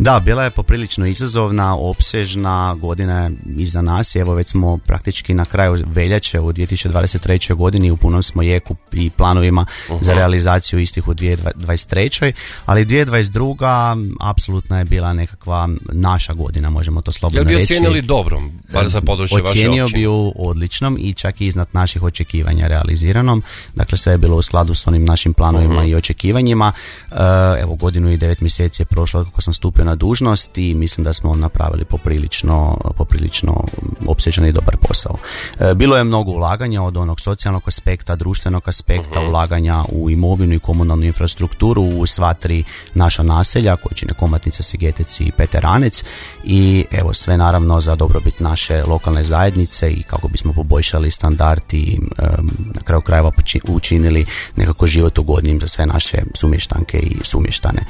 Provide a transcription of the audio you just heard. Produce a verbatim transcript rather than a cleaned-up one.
Da, bila je poprilično izazovna, opsežna, godina je iza nas i evo već smo praktički na kraju veljače u dvije tisuće dvadeset treće godini, u punom smo jeku i planovima uh-huh. za realizaciju istih u dvije tisuće dvadeset treće ali dvije tisuće dvadeset druga apsolutno je bila nekakva naša godina, možemo to slobodno reći. Jel bi ocijenili dobrom, bar za područje vaše općine? Ocijenio bi ju odličnom i čak i iznad naših očekivanja realiziranom, dakle sve je bilo u skladu s onim našim planovima uh-huh. i očekivanjima. Evo, godinu i devet mjeseci je prošlo kako sam stupio na dužnost i mislim da smo napravili poprilično, poprilično opsežan i dobar posao. Bilo je mnogo ulaganja od onog socijalnog aspekta, društvenog aspekta, uh-huh. ulaganja u imovinu i komunalnu infrastrukturu u sva tri naša naselja koje čine Komatinica, Sigetec i Peteranec i evo sve naravno za dobrobit naše lokalne zajednice i kako bismo poboljšali standard i um, na kraju krajeva učinili nekako život ugodnim za sve naše sumještanke i sumještane.